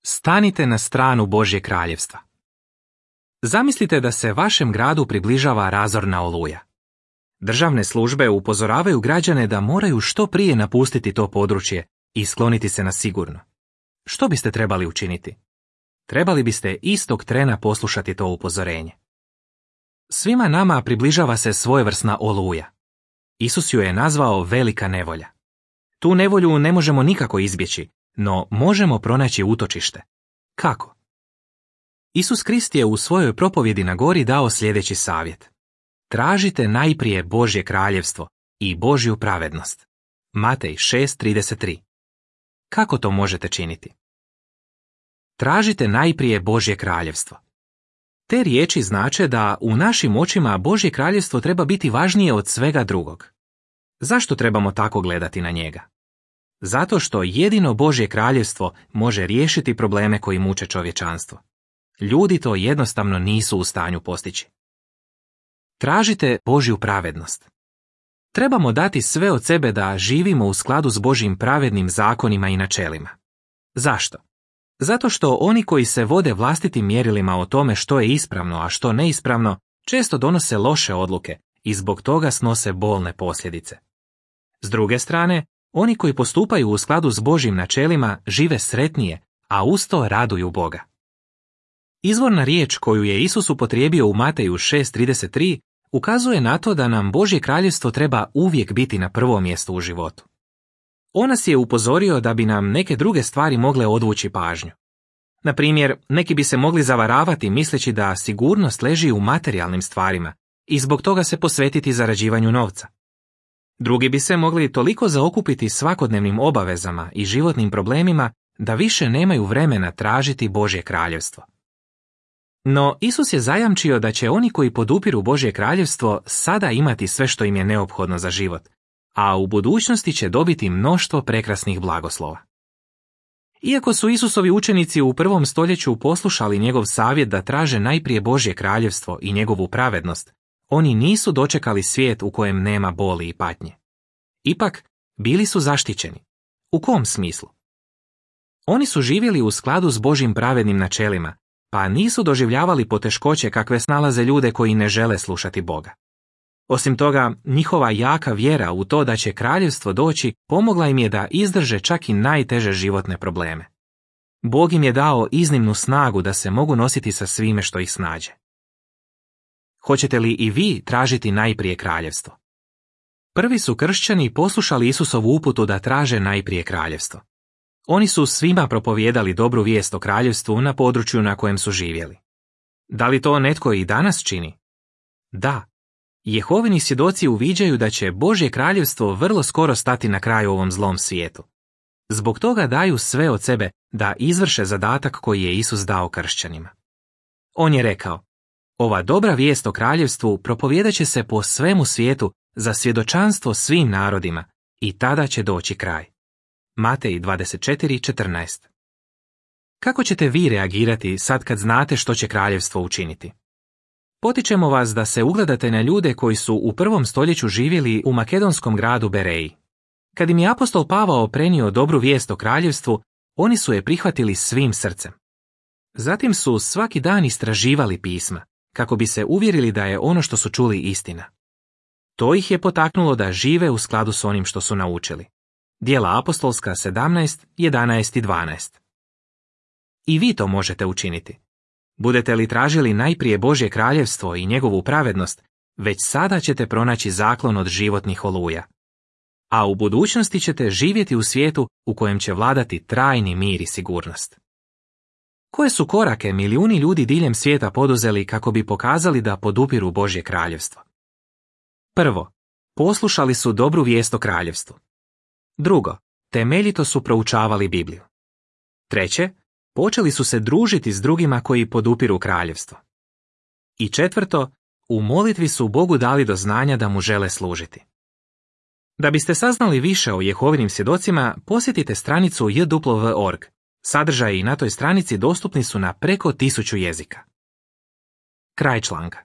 Stanite na stranu Božje kraljevstva. Zamislite da se vašem gradu približava razorna oluja. Državne službe upozoravaju građane da moraju što prije napustiti to područje i skloniti se na sigurno. Što biste trebali učiniti? Trebali biste istog trena poslušati to upozorenje. Svima nama približava se svojevrsna oluja. Isus ju je nazvao velika nevolja. Tu nevolju ne možemo nikako izbjeći, no možemo pronaći utočište. Kako? Isus Krist je u svojoj propovjedi na gori dao sljedeći savjet. Tražite najprije Božje kraljevstvo i Božju pravednost. Matej 6:33. Kako to možete činiti? Tražite najprije Božje kraljevstvo. Te riječi znače da u našim očima Božje kraljevstvo treba biti važnije od svega drugog. Zašto trebamo tako gledati na njega? Zato što jedino Božje kraljevstvo može riješiti probleme koji muče čovječanstvo. Ljudi to jednostavno nisu u stanju postići. Tražite Božju pravednost. Trebamo dati sve od sebe da živimo u skladu s Božjim pravednim zakonima i načelima. Zašto? Zato što oni koji se vode vlastitim mjerilima o tome što je ispravno, a što neispravno, često donose loše odluke i zbog toga snose bolne posljedice. S druge strane, oni koji postupaju u skladu s Božjim načelima žive sretnije, a uz to raduju Boga. Izvorna riječ koju je Isus upotrijebio u Mateju 6:33 ukazuje na to da nam Božje kraljevstvo treba uvijek biti na prvom mjestu u životu. On nas je upozorio da bi nam neke druge stvari mogle odvući pažnju. Na primjer, neki bi se mogli zavaravati misleći da sigurnost leži u materijalnim stvarima i zbog toga se posvetiti zarađivanju novca. Drugi bi se mogli toliko zaokupiti svakodnevnim obavezama i životnim problemima da više nemaju vremena tražiti Božje kraljevstvo. No, Isus je zajamčio da će oni koji podupiru Božje kraljevstvo sada imati sve što im je neophodno za život, a u budućnosti će dobiti mnoštvo prekrasnih blagoslova. Iako su Isusovi učenici u prvom stoljeću poslušali njegov savjet da traže najprije Božje kraljevstvo i njegovu pravednost, oni nisu dočekali svijet u kojem nema boli i patnje. Ipak, bili su zaštićeni. U kom smislu? Oni su živjeli u skladu s Božjim pravednim načelima, pa nisu doživljavali poteškoće kakve snalaze ljude koji ne žele slušati Boga. Osim toga, njihova jaka vjera u to da će kraljevstvo doći pomogla im je da izdrže čak i najteže životne probleme. Bog im je dao iznimnu snagu da se mogu nositi sa svime što ih snađe. Hoćete li i vi tražiti najprije kraljevstvo? Prvi su kršćani poslušali Isusovu uputu da traže najprije kraljevstvo. Oni su svima propovijedali dobru vijest o kraljevstvu na području na kojem su živjeli. Da li to netko i danas čini? Da. Jehovini svjedoci uviđaju da će Božje kraljevstvo vrlo skoro stati na kraj ovom zlom svijetu. Zbog toga daju sve od sebe da izvrše zadatak koji je Isus dao kršćanima. On je rekao, ova dobra vijest o kraljevstvu propovijedat će se po svemu svijetu za svjedočanstvo svim narodima i tada će doći kraj. Matej 24:14. Kako ćete vi reagirati sad kad znate što će kraljevstvo učiniti? Potičemo vas da se ugledate na ljude koji su u prvom stoljeću živjeli u makedonskom gradu Bereji. Kad im je apostol Pavao prenio dobru vijest o kraljevstvu, oni su je prihvatili svim srcem. Zatim su svaki dan istraživali pisma, kako bi se uvjerili da je ono što su čuli istina. To ih je potaknulo da žive u skladu s onim što su naučili. Djela apostolska 17:11 i 12. I vi to možete učiniti. Budete li tražili najprije Božje kraljevstvo i njegovu pravednost, već sada ćete pronaći zaklon od životnih oluja. A u budućnosti ćete živjeti u svijetu u kojem će vladati trajni mir i sigurnost. Koje su korake milijuni ljudi diljem svijeta poduzeli kako bi pokazali da podupiru Božje kraljevstvo? Prvo, poslušali su dobru vijest o kraljevstvu. Drugo, temeljito su proučavali Bibliju. Treće, počeli su se družiti s drugima koji podupiru kraljevstvo. I četvrto, u molitvi su Bogu dali do znanja da mu žele služiti. Da biste saznali više o Jehovinim svjedocima, posjetite stranicu jw.org. Sadržaji na toj stranici dostupni su na preko 1000 jezika. Kraj članka.